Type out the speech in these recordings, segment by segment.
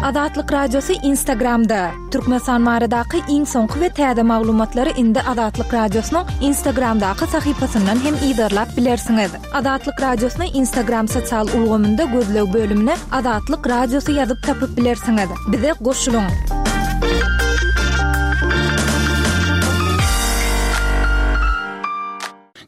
Azatlyk Radiosy Instagramda! Türkmenistan baradaky iň soňky we täze maglumatlary indi Azatlyk Radiosynyň Instagramdaky sahypasyndan hem yzarlap bilersiňiz. Azatlyk Radiosyny Instagram sosial ulgamynda gözleg bölümine Azatlyk Radiosy ýazyp tapyp bilersiňiz. Bize goşulyň!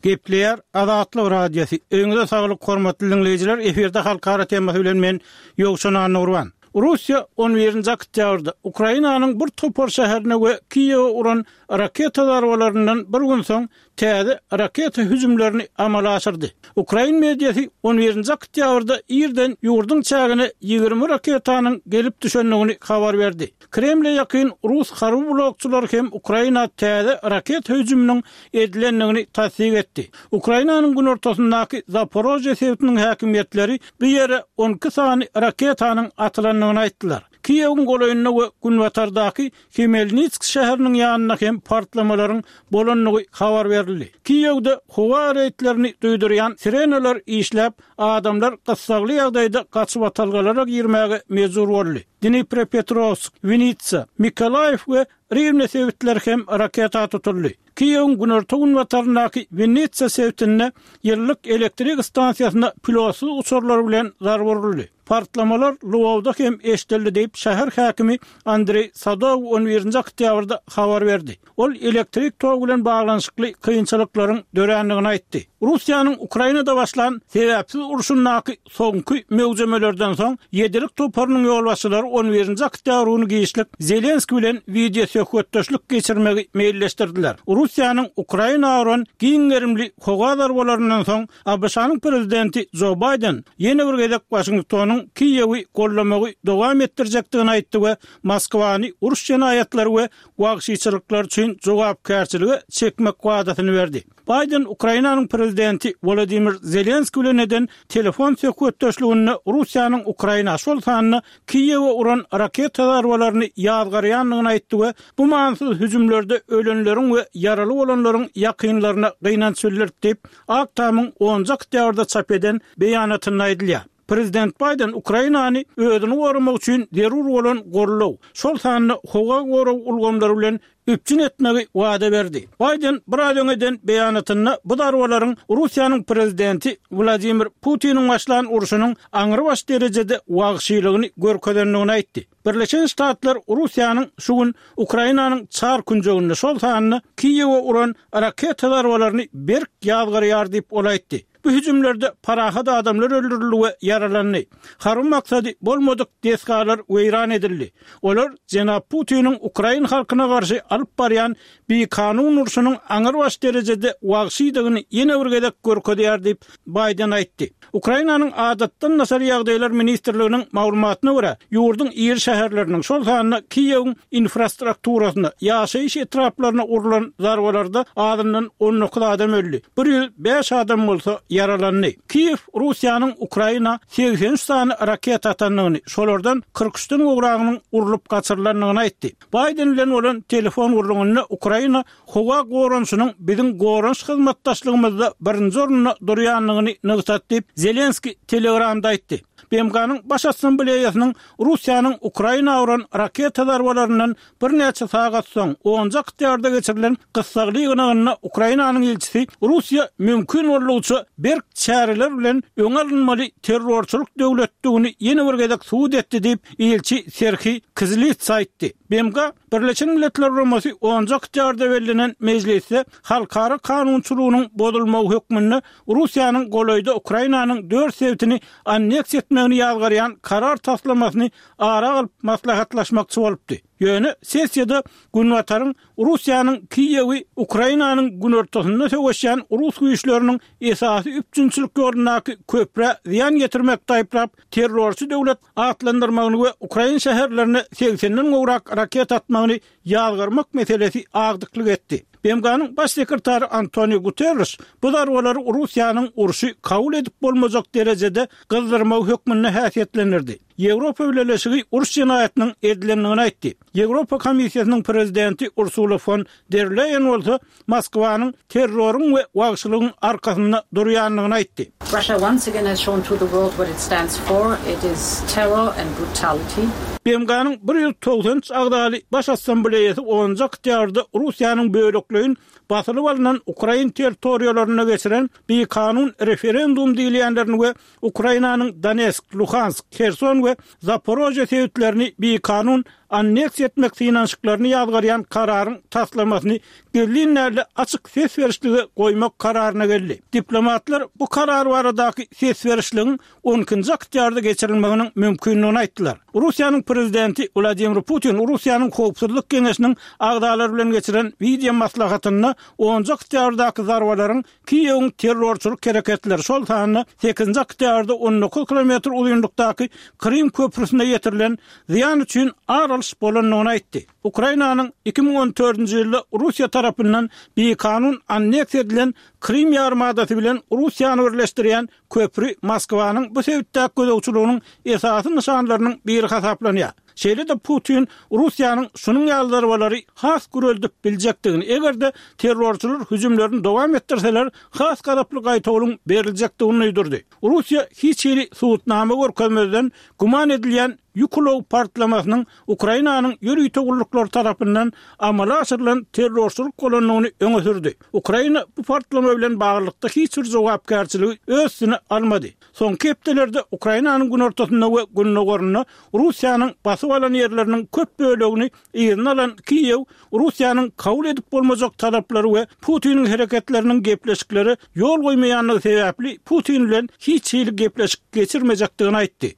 Gepleýär Azatlyk Radiosy. Öýüňize saglyk hormatly diňleýjiler, efirde halkara temasy bilen men Ýowşan Annagurban. Russiýa on birinji oktýabrda Ukrainanyň bir topar şäherine we Kiýewe uran raketa zarbalaryndan bir gün soň täze raketa hüjümlerini amala aşyrdy. Ukrain mediasy on birinji oktýabrda irden ýurduň çägine 20 raketanyň gelip düşendigini habar berdi. Kremle ýakyn rus harby blogçylary hem Ukraina täze raketa hüjüminiň edilendigini tassyk etdi. Ukrainanyň günortasyndaky Zaporožýe sebitiniň häkimiýetleri bu ýere 12 sany raketanyň atylandygyny aýtdylar. Kiýewiň golaýynda we günbatardaky Hmelnitsk şäheriniň ýanynda hem partlamalaryň bolandygy habar berildi. Kiýewde howa reýdlerini duýdurýan sirenalar işläp, adamlar gyssagly ýagdaýda gaçybatalgalara girmäge mejbur boldy. Dniprepetrowsk, Winnitsa, Mykolaýiw we Riwne sebitleri hem raketa tutuldy. Kiýewiň günorta-günbataryndaky Winnitsa sebitinde ýyllyk elektrik stansiýasyna pilotsyz uçarlar bilen zarba uruldy. Partlamalar Lwowda hem eşidildi diýip, şäher häkimi Andreý Sadow on birinji oktýabrda habar berdi. Ol elektrik togy bilen baglanyşykly kynçylyklaryň dörändigini aýtdy. Russiýanyň Ukrainada başlan sebäpsiz urşundaky soňky möwjemelerden soň, Ýedilik toparynyň ýolbaşçylary on birinji oktýabr güni giçlik Zelenskiý bilen wideosöhbetdeşlik geçirmegi meýilleşdirdiler. Russiýanyň Ukraina uran giň gerimli howa zarbalaryndan soň, ABŞ-nyň prezidenti Jo Baýden ýene bir gezek Waşingtonyň Kiýewi goldamagy dowam etdirjekdigini aýtdy we Moskwany uruş jenaýatlary we wagşyçylyklar üçin jogapkärçilige çekmek wadasyny berdi. Baýden Ukrainanyň prezidenti Wolodymyr Zelenskiý bilen eden telefon söhbetdeşliginde Russiýanyň Ukraina, şol sanda Kiýewe uran raketa zarbalaryny ýazgarýandygyny aýtdy we bu manysyz hüjümlerde ölenleriň we ýaraly bolanlaryň ýakynlaryna gynanç bildirdi diýip, Ak Tamyň onunjy oktýabrda çap eden beýanatynda aýdylýar. Prezident Baýden Ukrainany özüni goramak üçin zerur bolan goldaw, şol sanda howa gorag ulgamlary bilen üpjün etmegi wada berdi. Baýden biraz öň eden beýanatynda bu zarbalaryň Russiýanyň prezidenti Wladimir Putiniň başlan urşunyň aňrybaş derejede wagşylygyny görkezendigini aýtdy. Birleşen Ştatlar Russiýanyň şu gün Ukrainanyň çar künjeginde, şol sanda Kiýewe uran raketa zarbalaryny berk ýazgarýar diýip, ol aýtdy. Bu hüjümlerde parahat adamlar öldürildi we ýaralandy. Harby maksady bolmadyk desgalar weýran edildi. Olar jenap Putiniň ukrain halkyna garşy alyp barýan bikanun urşunyň aňrybaş derejede wagşydygyny ýene bir gezek görkezýär diýip, Baýden aýtdy. Ukrainanyň Adatdan daşary ýagdaýlar ministrliginiň maglumatyna görä, ýurduň iri şäherleriniň, şol sanda Kiýewiň infrastrukturasyna, ýaşaýyş etraplaryna urlan zarbalarda azyndan 19 adam öldi, 105 adam bolsa ýaralandy. Kiýew Russiýanyň Ukraina 83 sany raketa atandygyny, şolardan 43-den gowragynyň urlup gaçyrylandygyny aýtdy. Baýden bilen bolan telefon gürrüňinde Ukraina howa goranyşynyň biziň goranyş hyzmatdaşlygymyzda birinji orunda durýandygyny nygtady diýip, Zelenskiý Telegramda aýtdy. BMG-niň Baş Assambleýasynyň Russiýanyň Ukraina uran raketa zarbalaryndan birnäçe sagat soň, onunjy oktýabrda geçirilen gyssagly ýygnagynda Ukrainanyň ilçisi Russiýa mümkin boldugyça berk çäreler bilen öňi alynmaly terrorçylyk döwletdigini ýene bir gezek subut etdi diýip, ilçi Serhiý Kizlitsa aýtdy. BMG Birleşen Milletler Guramasy onunjy oktýabrda bellenen mejlisde halkara kanunçylygynyň bozulmagy hökmünde Russiýanyň golaýda Ukrainanyň dört sebitini anneksiýa etmegini ýazgarýan karar taslamasyny ara alyp maslahatlaşmakçy bolupdy. Ýöne sessiýada Günbataryň Russiýanyň Kiýewi Ukrainanyň günortasynda söweşýän rus güýçleriniň esasy üpjünçilik ýolundaky köprä zyýan ýetirmekde aýyplap, terrorçy döwlet atlandyrmagyny we ukrain şäherlerine segsenden gowrak raketa atmagyny ýazgarmak meselesi agdyklyk etdi. BMG-niň Baş sekretary Antonio Guterreş bu zarbalary Russiýanyň urşy kabul edip bolmajak derejede gyzdyrmagy hökmünde häsiýetlendirdi. Ýewropa Bileleşigi uruş jenaýatynyň edilendigini aýtdy. Ýewropa Komissiýasynyň prezidenti Ursula fon der Leýen bolsa Moskwanyň terroryň we wagşylygyň arkasynda durýandygyny aýtdy. Russia once again has shown to the world what it stands for, it is terror and brutality. BMG-niň 193 agzaly Baş Assambleýasy onunjy oktýabrda Russiýanyň bölekleýin basylyp alnan ukrain territoriýalarynda geçiren bikanun referendum diýilýänlerini we Ukrainanyň Donetsk, Luhansk, Herson we Zaporožýe sebitlerini bikanun anneksiýa etmek synanyşyklaryny ýazgarýan kararyň taslamasyny gizlin däl-de açyk ses berişlige goýmak kararyna geldi. Diplomatlar bu karar baradaky ses berişligiň on ikinji oktýabrda geçirilmeginiň mümkindigini aýtdylar. Russiýanyň Prezidenti Wladimir Putin Russiýanyň Howpsuzlyk geňeşiniň agzalary bilen geçiren wideo maslahatynda onunjy oktýabrdaky zarbalaryň Kiýewiň terrorçylyk hereketleri, şol sanda sekizinji oktýabrda 19 kilometr uzynlykdaky Krym köprüsine ýetirilen zyýan üçin ar alyş bolandygyny aýtdy. Ukrainanyň 2014-nji ýylda Russiýa tarapyndan bikanun anneksiýa edilen Krym ýarymadasy bilen Russiýany birleşdirýän köpri Moskwanyň bu sebitdäki gözegçiliginiň esasy nyşanlarynyň biri hasaplanýar. Şeýle-de Putin Russiýanyň şunuň ýaly zarbalary has güreldip biljekdigini, eger-de terrorçylar hüjümlerini dowam etdirseler, has gazaply gaýtawulyň beriljekdigini duýdurdy. Russiýa hiç hili subutnama görkezmezden güman edilýän ýük ulag partlamasynyň Ukrainanyň ýörite gulluklary tarapyndan amala aşyrylan terrorçylyk bolandygyny öňe sürdi. Ukraina bu partlama bilen baglylykda hiç bir jogapkärçiligi öz üstüne almady. Soňky hepdelerde Ukrainanyň günortasynda we gündogarynda Russiýanyň basyp alan ýerleriniň köp bölegini yzyna alan Kiýew Russiýanyň kabul edip bolmajak talaplary we Putiniň hereketleriniň gepleşiklere ýol goýmaýandygy sebäpli Putin bilen hiç hili gepleşik geçirmejekdigini aýtdy.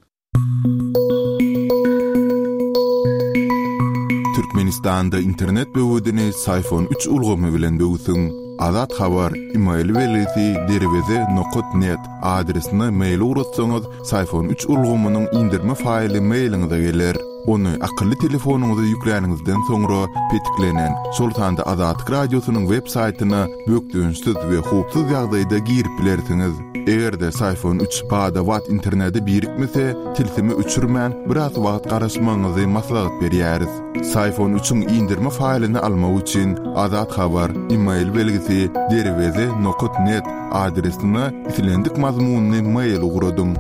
Türkmenistanda internet böwedini Syfon üç ulgamy bilen böwsüň. Azat Habar, email belgisi derweze nokat net adresine mail ugratsaňyz, Syfon üç ulgamynyň indirme faýly mailiňize geler. Ony akylly telefonyňyza ýükläniňizden soňra petiklenen, şol sanda Azatlyk Radiosynyň web saýtyna bökdençsiz we howpsuz ýagdaýda girip bilersiňiz. Eger-de Syfon üç bada-bat internete birikmese, tilsimi öçürmän, biraz wagt garaşmagyňyzy maslahat berýäris. Syfon üçiň indirme faýlyny almak üçin Azat Habar, email belgisi, derweze nokat net adresine islendik mazmunly mail ugradyň.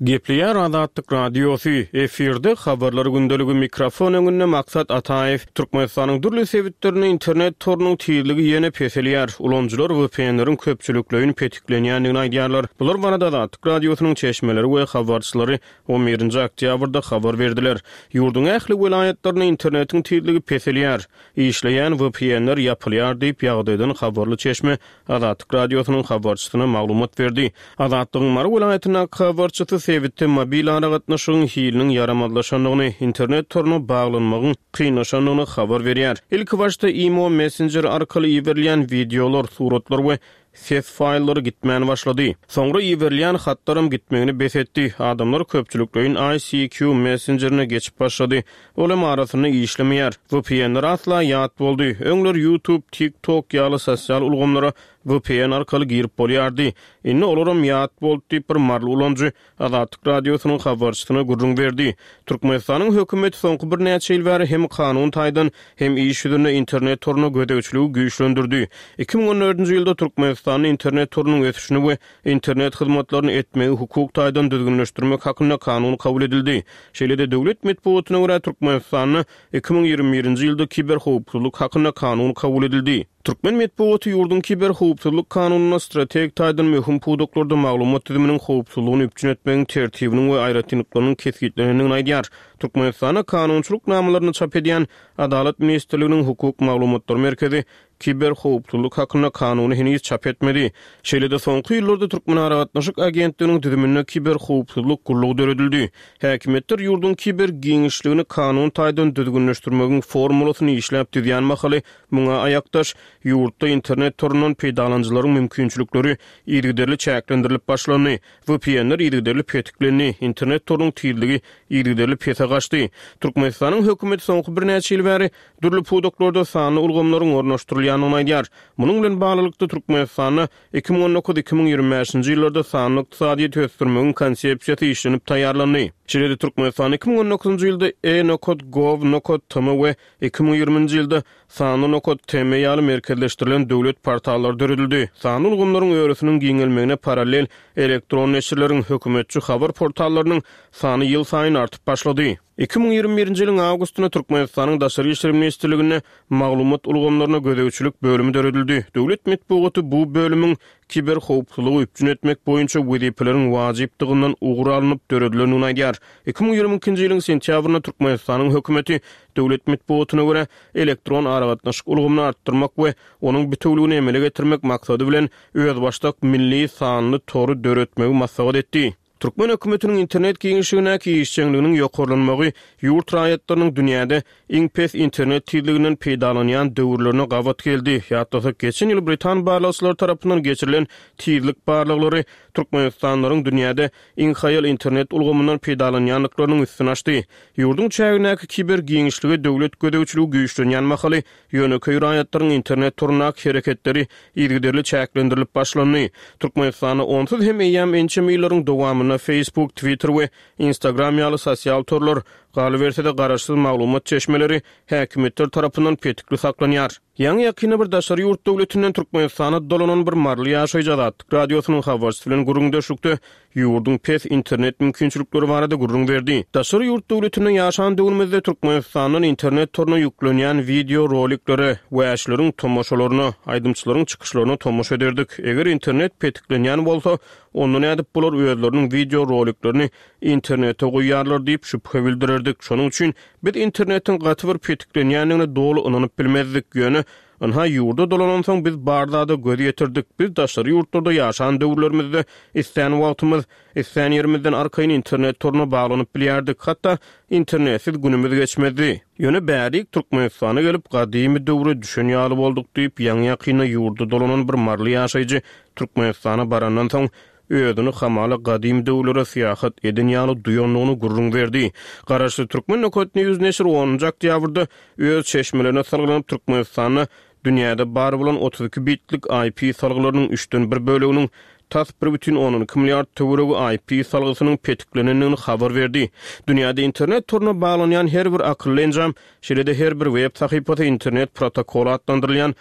Gepleýär Azatlyk Radiosy, efirde Habarlar gündeligi, mikrofon öňünde Maksat Ataýew. Türkmenistanyň dürli sebitlerinde internet torunyň tizligi ýene peselýär. Ulanyjylar VPN-leriň köpçülikleýin petiklenýändigini aýdýarlar. Bular barada Azatlyk Radiosynyň çeşmeleri we habarçylary on birinji oktýabrda habar berdiler. Ýurduň ähli welaýatlarynda internetiň tizligi peselýär. Işleýän VPN-ler ýapylýar diýip, ýagdaýdan habarly çeşme Azatlyk Radiosynyň habarçysyna maglumat berdi. Azatlygyň Mary welaýatyndaky habarçysy sebitde mobil aragatnaşygyň hiliniň ýaramazlaşandygyny, internet toruna baglanmagyň kynlaşandygyny habar berýär. Ilkibaşda imo messenjeri arkaly iberilýän wideolar, suratlar we ses faýllary gitmän başlady. Soňra iberilýän hatlaram gitmegini bes etdi. Adamlar köpçülikleýin ICQ messenjerine geçip başlady. Ol hem arasynda işlemeýär. VPN-ler asla ýat boldy. Öňler YouTube, TikTok ýaly sosial ulgamlara VPN arkaly girip bolýardy. Indi olaram ýat boldy diýip, bir maryly ulanyjy Azatlyk Radiosynyň habarçysyna gürrüň berdi. Türkmenistanyň hökümeti soňky birnäçe ýyl bäri hem kanun taýdan, hem iş ýüzünde internet toruna gözegçiligi güýçlendirdi. 2014-nji ýylda Türkmenistanda internet torunyň ösüşini we Internet hyzmatlaryny etmegi hukuk taýdan düzgünleşdirmek hakynda kanun kabul edildi. Şeýle-de, döwlet metbugatyna görä, Türkmenistanda 2021-nji ýylda kiberhowpsuzlyk hakynda kanun kabul edildi. Türkmen metbugaty ýurduň kiberhowpsuzlyk kanunynda strategik taýdan möhüm pudaklarda maglumat düzüminiň howpsuzlygyny üpjün etmegiň tertibiniň we aýratynlyklarynyň kesgitlenendigini aýdýar. Türkmenistanda kanunçylyk namalaryny çap edýän Adalat ministrliginiň Hukuk maglumatlar merkezi Kiberhowpsuzlyk hakynda kanuny heniz çap etmedi. Şeýle-de soňky ýyllarda Türkmenaragatnaşyk agentliginiň düzüminde kiberhowpsuzlyk gullugy döredildi. Häkimiýetler ýurduň kiber giňişligini kanun taýdan düzgünleşdirmegiň formulasyny işläp düzýän mahaly muňa aýakdaş, ýurtda internet torundan peýdalanyjylaryň mümkinçilikleri yzygiderli çäklendirilip başlandy. VPN-ler yzygiderli petiklendi, internet torunyň tizligi yzygiderli pese gaçdy. Türkmenistanyň hökümeti soňky birnäçe ýyl bäri dürli pudaklarda sanly ulgamlaryň ornaşdyrylýandygyny aýdýar. Munuň bilen baglylykda, Türkmenistanda 2019, 2025-nji ýyllarda sanly ykdysadyýeti ösdürmegiň konsepsiýasy işlenip taýýarlandy. Şeýle-de Türkmenistan 2019-njy ýylda e-nokat gov nokat tm we 2020-nji ýylda sanly nokat tm ýaly merkezleşdirilen döwlet portallary döredildi. Sanly ulgamlaryň örüsiniň giňelmegine parallel elektron neşirleriň, hökümetçi habar portallarynyň sany ýylsaýyn artyp başlady. 2021-nji ýylyň awgustynda Türkmenistanyň Daşary işler ministrliginde Maglumat ulgamlaryna gözegçilik bölümi döredildi. Döwlet metbugaty bu bölümiň kiberhowpsuzlygy üpjün etmek boýunça wezipeleriň wajypdygyndan ugur alnyp döredilendigini aýdýar. 2022-nji ýylyň sentýabrynda Türkmenistanyň hökümeti, döwlet metbugatyna görä, elektron aragatnaşyk ulgamyny artdyrmak we onuň bitewüligini emele getirmek maksady bilen özbaşdak milli sanly tory döretmegi maslahat etdi. Türkmen hökümetiniň internet giňişligindäki işjeňliginiň ýokarlanmagy ýurt raýatlarynyň dünýäde iň pes internet tizliginden peýdalanýan döwürlerine gabat geldi. Ýatlasak, geçen ýyl britan barlagçylary tarapyndan geçirilen tizlik barlaglary türkmenistanlylaryň dünýäde iň haýal internet ulgamyndan peýdalanýandyklarynyň üstüni açdy. Ýurduň çägindäki kiber giňişlige döwlet gözegçiligi güýçlenýän mahaly Ýönekeý raýatlaryň internet torundaky hereketleri yzygiderli çäklendirilip başlandy. Türkmenistanda onsuz hem eýýäm ençeme ýyllaryň dowamynda Facebook, Twitter we Instagram ýaly sosial torlar, galyberse-de garaşsyz maglumat çeşmeleri häkimiýetler tarapyndan petikli saklanýar. Ýaňy-ýakynda bir daşary ýurt döwletinden Türkmenistana dolanan bir maryly ýaşaýjy Azatlyk Radiosynyň habarçysy bilen gürrüňdeşlikde ýurduň pes internet mümkinçilikleri barada gürrüň berdi. Daşary ýurt döwletinde ýaşan döwrümizde Türkmenistandan internet toruna ýüklenýän wideo roliklere, wäşileriň tomaşalaryna, aýdymçylaryň çykyşlaryna tomaşa ederdik. Eger internet petiklenýän bolsa, onda nädip bular özleriniň wideo roliklerini internete goýýarlar diýip şübhe bildirerdik. Şonuň üçin biz internetiň gaty bir petiklenýändigine doly ynanyp bilmezdik. Ýöne Ynha, ýurda dolanansoň biz bar zada göz ýetirdik. Biz daşary ýurtlarda ýaşan döwürlerimizde islän wagtymyz, islän ýerimizden arkaýyn internet toruna baglanyp bilýärdik. Hatda internetsiz günümiz geçmezdi. Ýöne bärik Türkmenistana gelip, gadymy döwre düşen ýaly bolduk diýip, ýaňy-ýakynda ýurda dolanan bir maryly ýaşaýjy Türkmenistana barandan soň, özüni hamala gadym döwürlere syýahat eden ýaly duýandygyny gürrüň berdi. Garaşsyz Türkmen Nokat News neşiri onunjy oktýabrda öz çeşmelerine salgylanyp Türkmenistanda dünýäde bar bolan 32 bitlik IP salgylarynyň üçden bir böleginiň tas bir bütin ondan iki milliard töweregi IP salgysynyň petiklenendigini habar berdi. Dünýäde internet toruna baglanýan her bir akylly enjam Şeýle-de her bir web sahypasy internet protokoly atlandyrylýan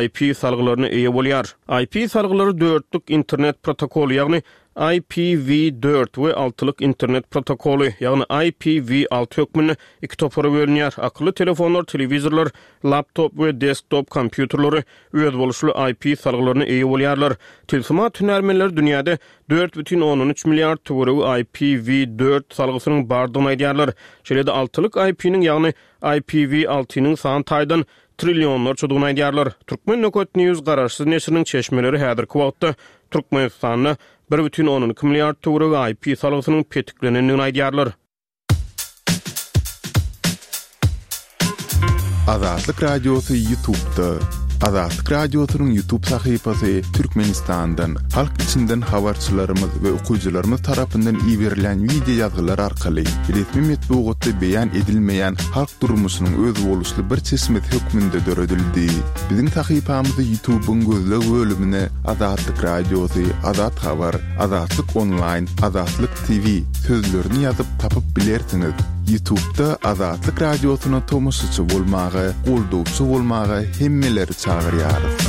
IP salgylaryna eýe bolýar. IP salgylary dörtlük internet protokoly, ýagny IPv dört we altylyk internet protokoly, ýagny IPv alty hökmünde iki topara bölünýär. Akylly telefonlar, telewizorlar, laptop we desktop kompýuterleri özboluşly IP salgylaryna eýe bolýarlar. Tilsimat hünärmenleri dünýäde 4,3 milliard töweregi IPv dört salgysynyň bardygyny aýdýarlar. Şeýle-de altylyk IP-niň, ýagny IPv altynyň san taýdan trillionlarçadygyny aýdýarlar. Turkmen Nokat News garaşsyz neşiriniň çeşmeleri häzirki wagtda Türkmenistanda 1,2 milliard töweregi IP salgysynyň petiklenendigini aýdýarlar. Azatlyk Radiosy YouTube'da. Azatlyk Radiosynyň YouTube sahypasy Türkmenistandan, halk içinden habarçylarymyz we okyjylarymyz tarapyndan iberilen wideo ýazgylar arkaly resmi metbugatda beýan edilmeýän halk durmuşynyň özboluşly bir çeşmesi hökmünde döredildi. Biziň sahypamyzy YouTube'yň gözleg bölümine Azatlyk Radiosy, Azat Habar, Azatlyk Onlaýn, Azatlyk TV sözlerini ýazyp tapyp bilersiňiz. Ýutubda Azatlyk Radiosyna tomaşaçy bolmaga, goldawçy bolmaga hemmeleri çagyrýarys.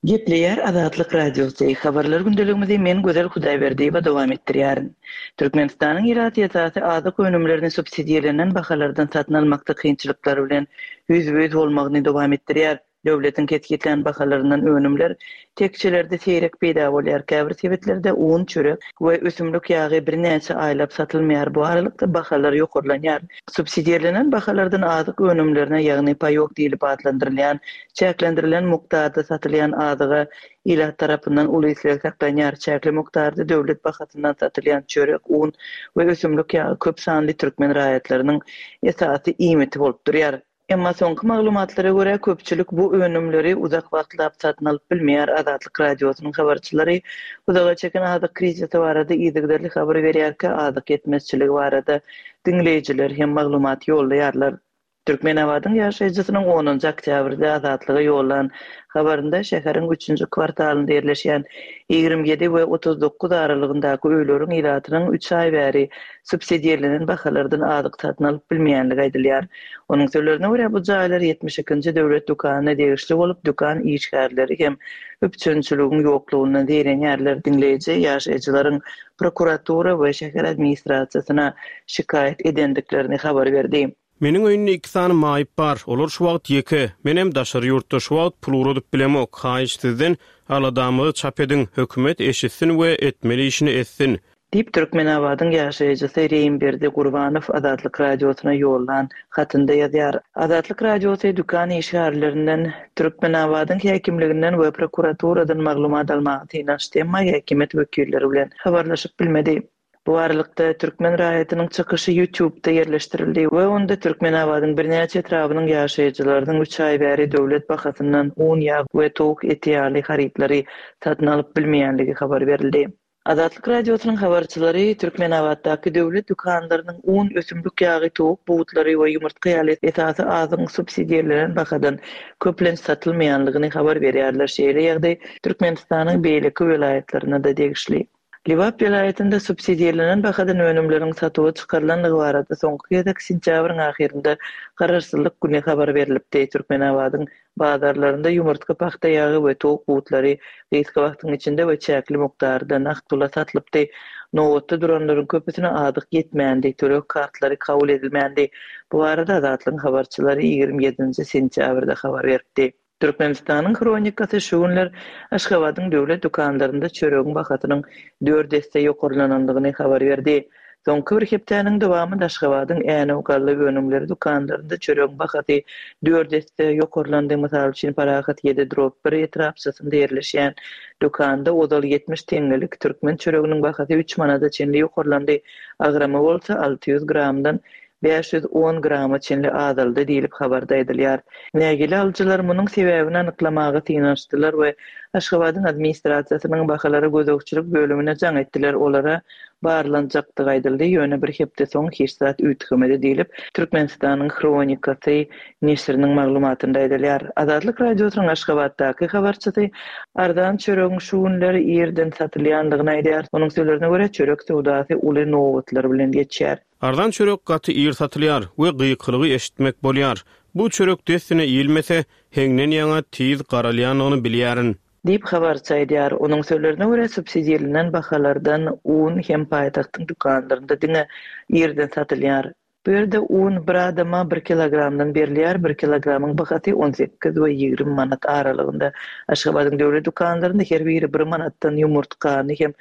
Gepleýär Azatlyk Radiosy, Habarlar gündeligimizi men Gözel Hudaýberdiýewa dowam etdirýärin. Türkmenistanyň ilaty esasy azyk önümlerini subsidirlenen bahalardan satyn almakda kynçylyklar bilen ýüzbe-ýüz bolmagyny dowam etdirýär. Döwletiň kesgitlän bahalaryndan önümler tekjelerde seýrek peýda bolýar, käbir sebitlerde un, çörek we ösümlik ýagy birnäçe aýlap satylmaýar, bu aralykda bahalar ýokarlanýar. Subsidirlenen bahalardan azyk önümlerine, ýagny paýok diýlip atlandyrylýan, çäklendirilen mukdarda satylýan azyga ilat tarapyndan uly isleg saklanýar. Çäkli mukdarda döwlet bahasyndan satylýan çörek, un we ösümlik ýagy köp sanly türkmen raýatlarynyň esasy iýmiti bolup durýar. Emma soňky maglumatlara görä, köpçülik bu önümleri uzak wagtlap satyn alyp bilmeýär. Azatlyk Radiosynyň habarçylary uzaga çeken azyk krizisi barada yzygiderli habar berýärkä, azyk ýetmezçiligi barada diňleýjiler hem maglumat ýollaýarlar. Türkmenabadyň ýaşaýjysynyň onunjy oktýabrda Azatlyga ýollan habarynda şäheriň üçünji kwartalynda ýerleşýän 27 we 39 aralygyndaky öýleriň ilatynyň üç aý bäri subsidirlenen bahalardan azyk satyn alyp bilmeýändigi aýdylýar. Onuň sözlerine görä, bu jaýlar 72-nji döwlet dükanyna degişli bolup, dükan işgärleri hem üpjünçiligiň ýoklugyndan zeýrenýärler. Diňleýji ýaşaýjylaryň prokuratura we şäher administrasiýasyna şikaýat edendiklerini habar berdi. Meniň öýünde iki sany maýyp bar, olar şu wagt ýeke, menem daşary ýurtda şu wagt pul ugradyp bilemok, haýyş sizden aladamyzy çap ediň, hökümet eşitsin we etmeli işini etsin. Diýip, Türkmenabadyň ýaşaýjysy Reýimberdi Gurbanow Azatlyk Radiosyna ýollan hatynda ýazýar. Azatlyk Radiosy dükan işgärlerinden, Türkmenabadyň häkimliginden we prokuraturadan maglumat almaga synanyşdy, emma häkimiýet wekilleri bilen habarlaşyp bilmedi. Bu aralykda, türkmen raýatynyň çykyşy YouTube-da ýerleşdirildi we onda Türkmenabadyň birnäçe etrabynyň ýaşaýjylarynyň üç aý bäri döwlet bahasyndan un, ýag we towuk eti ýaly harytlary satyn alyp bilmeýänligi habar berildi. Azatlyk Radiosynyň habarçylary Türkmenabatdaky döwlet dükanlarynyň un, ösümlik ýagy, towuk butlary we ýumurtga ýaly esasy azygyň subsidirlenen bahadan köplenç satylmaýanlygyny habar berýärler. Şeýle ýagdaý Türkmenistanyň beýleki welaýatlaryna-da degişli. Lebap welaýatynda subsidirlenen bahadan önümleriň satuwa çykarylandygy barada soňky gezek sentýabryň ahyrynda Garaşsyzlyk güni habar berlipdi. Türkmenabadyň Bazarlarynda ýumurtga, pagta ýagy we towuk butlary gysga wagtyň içinde we çäkli mukdarda nagt pula satlypdy. Nobatda duranlaryň köpüsine azyk ýetmändi, töleg kartlary kabul edilmändi. Bu barada Azatlygyň habarçylary 27-nji sentýabrda habar beripdi. Türkmenistanyň Hronikasy şu günler Aşgabadyň döwlet dükanlarynda çöregiň bahasynyň dört esse ýokarlanandygyny habar berdi. Soňky bir hepdäniň dowamynda Aşgabadyň Änew galla önümleri dükanlarynda çöregiň bahasy dört esse ýokarlandy. Mysal üçin, Parahat ýedi drop bir etrapçasynda ýerleşýän dükanda ozal 70 teňňelik türkmen çöreginiň bahasy üç manada çenli ýokarlandy, agramy bolsa 600 gramdan 510 grama çenli azaldy diýlip, habarda aýdylýar. Nägile alyjylar munuň sebäbini anyklamaga synanyşdylar we Aşgabadyň administrasiýasynyň bahalara gözegçilik bölümine jaň etdiler, olara barlanjakdygy aýdyldy, ýöne bir hepde soň hiç zat üýtgemedi diýlip, Türkmenistanyň Hronikasy neşiriniň maglumatynda aýdylýar. Azatlyk Radiosynyň Aşgabatdaky habarçysy arzan çöregiň şu günler irden satylýandygyny aýdýar. Onuň sözlerine görä, çörek söwdasy uly nobatlar bilen geçýär. Arzan çörek gaty ir satylýar we gykylygy eşitmek bolýar. Bu çörek dessine iýilmese, heňden ýaňa tiz garalýandygyny bilýärin. Diýip, habarçy aýdýar. Onuň sözlerine görä, subsidirlenen bahalardan un hem paýtagtyň dükanlarynda diňe irden satylýar. Bu ýerde un bir adama bir kilogramdan berilýär, bir kilogramyň bahasy 18 we 20 manat aralygynda. Aşgabadyň döwlet dükanlarynda her biri bir manatdan ýumurtgany hem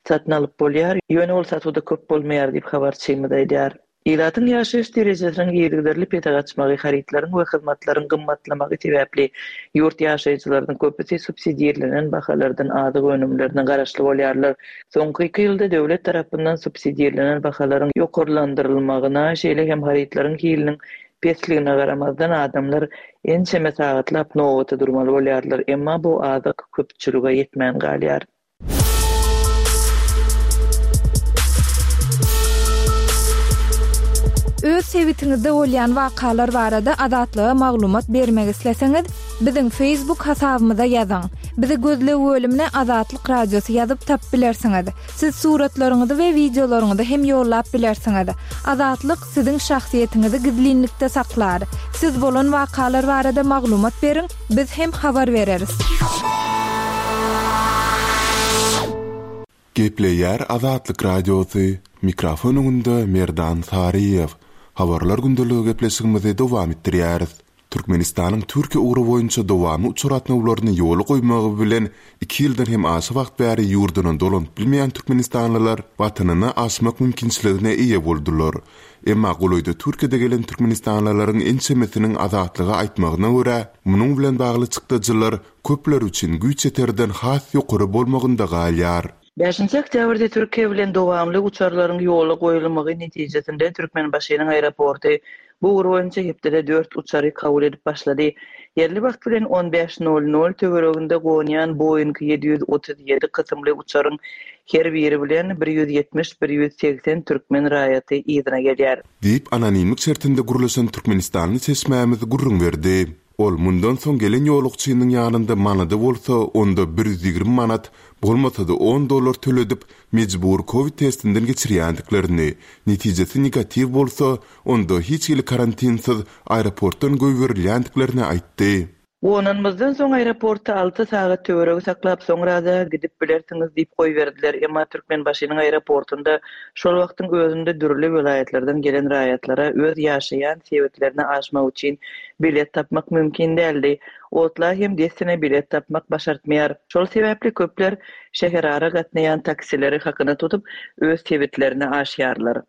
satyn alyp bolýar, ýöne ol satuwda köp bolmaýar diýip, habarçymyz aýdýar. Ilatyň ýaşaýyş derejesiniň yzygiderli pese gaçmagy, harytlaryň we hyzmatlaryň gymmatlamagy sebäpli ýurt ýaşaýjylarynyň köpüsi subsidirlenen bahalardan azyk önümlerine garaşly bolýarlar. Soňky iki ýylda döwlet tarapyndan subsidirlenen bahalaryň ýokarlandyrylmagyna, şeýle hem harytlaryň hiliniň pesligine garamazdan, adamlar ençeme sagatlap nobata durmaly bolýarlar, emma bu azyk köpçülige ýetmän galýar. Öz sebitiňizde bolýan wakalar barada Azatlyga maglumat bermek isleseňiz, biziň Facebook hasabymyza ýazyň. Bizi gözleg bölümine Azatlyk Radiosy ýazyp tapyp bilersiňiz. Siz suratlaryňyzy we wideolaryňyzy hem ýollap bilersiňiz. Azatlyk siziň şahsyýetiňizi gizlinlikde saklar. Siz bolan wakalar barada maglumat beriň, Biz hem habar bereris. Gepleýär Azatlyk Radiosy, mikrofon öňünde Merdan Saryýew. Habarlar gündeligi gepleşigimizi dowam etdirýäris. Türkmenistanyň Türkiýe ugry boýunça dowamly uçar gatnawlaryny ýola goýmagy bilen iki ýyldan hem aşa wagt bäri ýurduna dolanyp bilmeýän türkmenistanlylar Watanyna aşmak mümkinçiligine eýe boldular. Emma golaýda Türkiýede gelen türkmenistanlylaryň ençemesiniň Azatlyga aýtmagyna görä, munuň bilen bagly çykdajylar köpler üçin güýç ýeterden has ýokary bolmagynda galýar. Bäşinji oktýabrda Türkiýe bilen dowamly uçarlaryň ýola goýulmagy netijesinde Türkmenbaşynyň aeroporty bu ugur boýunça hepdede dört uçary kabul edip başlady. Ýerli wagt bilen on bäş nol nol töwereginde gonýan Boeing 737 kysymly uçaryň her biri bilen bir 170, bir 180 türkmen raýaty yzyna gelýär. Diýip, anonimlik şertinde gürleşen türkmenistanly çeşmämiz gürrüň berdi. Ol mundan soň gelen ýolagçynyň ýanynda manady bolsa, onda 120 manat, bolmasa-da on dollar töledip, mejbury kowid testinden geçirýändiklerini, netijesi negatiw bolsa, onda hiç hili karantinsiz aeroportdan goýberilýändiklerini aýtdy. Gonanymyzdan soň aeroportda alty sagat töweregi saklap, soňra-da gidip bilersiňiz diýip goýberdiler. Emma Türkmenbaşynyň aeroportunda şol wagtyň özünde dürli welaýatlardan gelen raýatlara öz ýaşaýan sebitlerine aşmak üçin bilet tapmak mümkin däldi. Otla hem dessine bilet tapmak başartmaýar. Şol sebäpli köpler şäherara gatnaýan taksileri hakyna tutup, öz sebitlerine aşýarlar.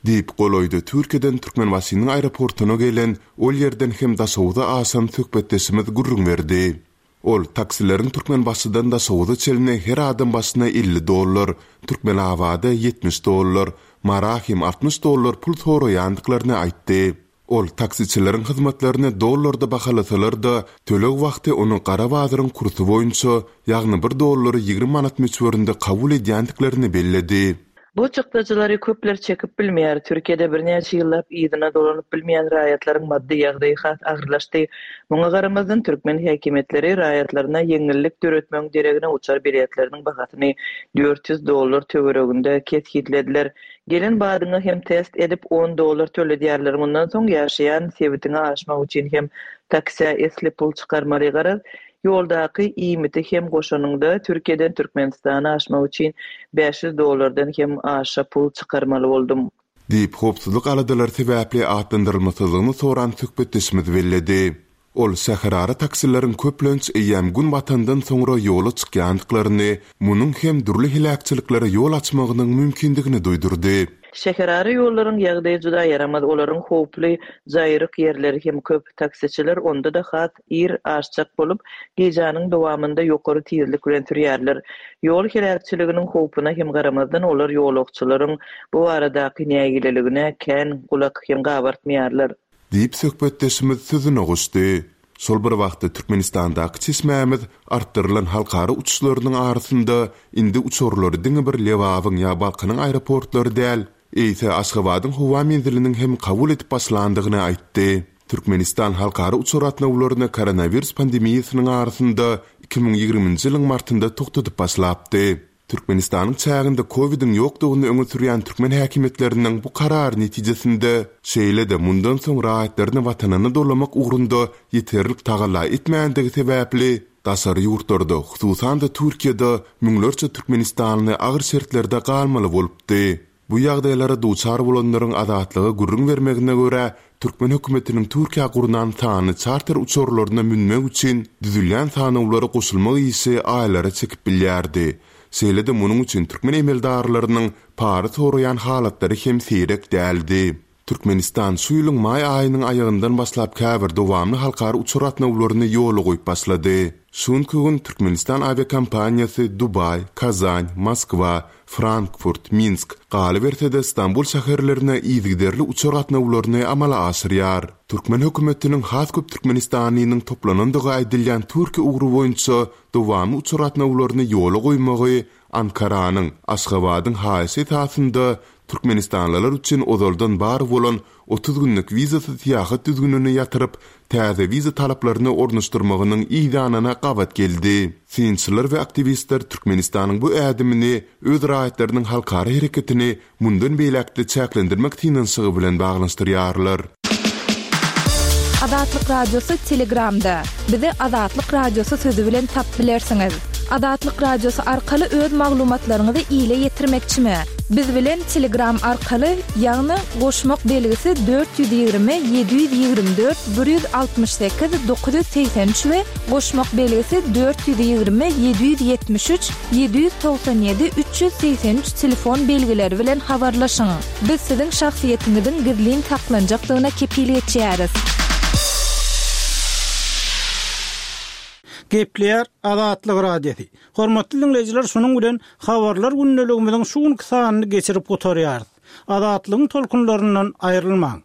Diýip, golaýda Türkiýeden Türkmenbaşynyň aeroportuna gelen, ol ýerden hem Daşoguza aşan söhbetdeşimiz gürrüň berdi. Ol taksileriň Türkmenbaşydan Daşoguza çenli her adam başyna 50 dollar, Türkmenabada 70 dollar, Mara hem 60 dollar pul soraýandyklaryny aýtdy. Ol taksiçileriň hyzmatlaryny dollarda bahalasalar-da, töleg wagty ony gara bazaryň kursy boýunça, ýagny bir dollary 20 manat möçberinde kabul edýändiklerini belledi. Bu çykdajylary köpler çekip bilmeýär. Türkiýede birnäçe ýyllap yzyna dolanyp bilmeýän raýatlaryň maddy ýagdaýy has agyrlaşdy. Muňa garamazdan, türkmen häkimiýetleri raýatlaryna ýeňillik döretmegiň deregine uçar biletleriniň bahasyny 400 dollar töwereginde kesgitlediler. Gelen badyňa hem test edip on dollar töledýärler, mundan soň ýaşaýan sebitiňe aşmak üçin hem taksä esli pul çykarmaly garaz, ýoldaky iýmiti hem goşanyňda Türkiýeden Türkmenistana aşmak üçin 500 dollardan hem aşa pul çykarmaly boldum. Diýip, howpsuzlyk aladalary sebäpli atlandyrylmasyzlygyny soran söhbetdeşimiz belledi. Ol şäherara taksileriň köplenç eýýäm gün batandan soňra ýola çykýandyklaryny, munuň hem dürli heläkçiliklere ýol açmagynyň mümkindigini duýdurdy. Şäherara ýollaryň ýagdaýy juda ýaramaz, olaryň howply, jaýryk ýerleri hem köp. Taksiçiler onda-da has ir aşjak bolup, gijäniň dowamynda ýokary tizlik bilen sürýärler. Ýol heläkçiliginiň howpuna hem garamazdan, olar ýolagçylaryň bu baradaky nägileligine kän gulak hem gabartmaýarlar. Diýip, söhbetdeşimiz sözüne goşdy. Şol bir wagtda, Türkmenistandaky çeşmämiz artdyrylan halkara uçuşlarynyň arasynda indi uçarlary diňe bir Lebabyň ýa Balkanyň aeroportlary däl, eýse Aşgabadyň howa menziliniň hem kabul edip başlandygyny aýtdy. Türkmenistan halkara uçar gatnawlaryny koronawirus pandemiýasynyň arasynda 2020-nji ýylyň martynda togtadyp başlapdy. Türkmenistanyň çäginde kowidiň ýokdugyny öňe sürýän türkmen häkimiýetleriniň bu karary netijesinde, şeýle-de mundan soň raýatlaryny watanyna dolamak ugrunda ýeterlik tagalla etmändigi sebäpli, daşary ýurtlarda, hususan-da Türkiýede müňlerçe türkmenistanly agyr şertlerde galmaly bolupdy. Bu ýagdaýlara duçar bolanlaryň Azatlyga gürrüň bermegine görä, türkmen hökümetiniň Türkiýä gurnan sanly çarter uçarlaryna münmek üçin düzülýän sanawlara goşulmak işi aýlara çekip bilýärdi. Şeýle-de munuň üçin türkmen emeldarlarynyň para soraýan halatlary hem seýrek däldi. Türkmenistan şu ýylyň maý aýynyň aýagyndan başlap käbir dowamly halkara uçar gatnawlaryny ýola goýup başlady. Şu günki gün Türkmenistan awiakompaniýasy Dubaý, Kazan, Moskwa, Frankfurt, Minsk, galyberse-de Stambul şäherlerine yzygiderli uçar gatnawlaryny amala aşyrýar. Türkmen hökümetiniň has köp türkmenistanlynyň toplanandygy aýdylýan Türkiýe ugry boýunça dowamly uçar gatnawlaryny ýola goýmagy Ankaranyň, Aşgabadyň haýyşy esasynda türkmenistanlylar üçin ozaldan bar bolan 30 günlük wizasyz syýahat düzgünini ýatyryp, täze wiza talaplaryny ornaşdyrmagynyň yz ýanyna gabat geldi. Synçylar we aktiwistler Türkmenistanyň bu ädimini öz raýatlarynyň halkara hereketini mundan beýläk-de çäklendirmek synanyşygy bilen baglanyşdyrýarlar. Azatlyk Radiosy Telegramda. Bizi Azatlyk Radiosy sözi bilen tap bilersiňiz. Azatlyk Radiosy arkaly öz maglumatlaryňyzy ile ýetirmekçimi? Biz bilen Telegram arkaly, ýagny goşmak belgisi 420 724 168 983 we goşmak belgisi 420 773 797 383 telefon belgileri bilen habarlaşyň. Biz siziň şahsyýetiňiziň gizlin saklanjakdygyna kepil geçýäris. Gepleýär Azatlyk Radiosy. Hormatly diňleýjiler şunuň bilen Habarlar gündeligimiziň şu günki sanyny geçirip gutarýarys. Azatlygyň tolkunlaryndan aýrylmaň.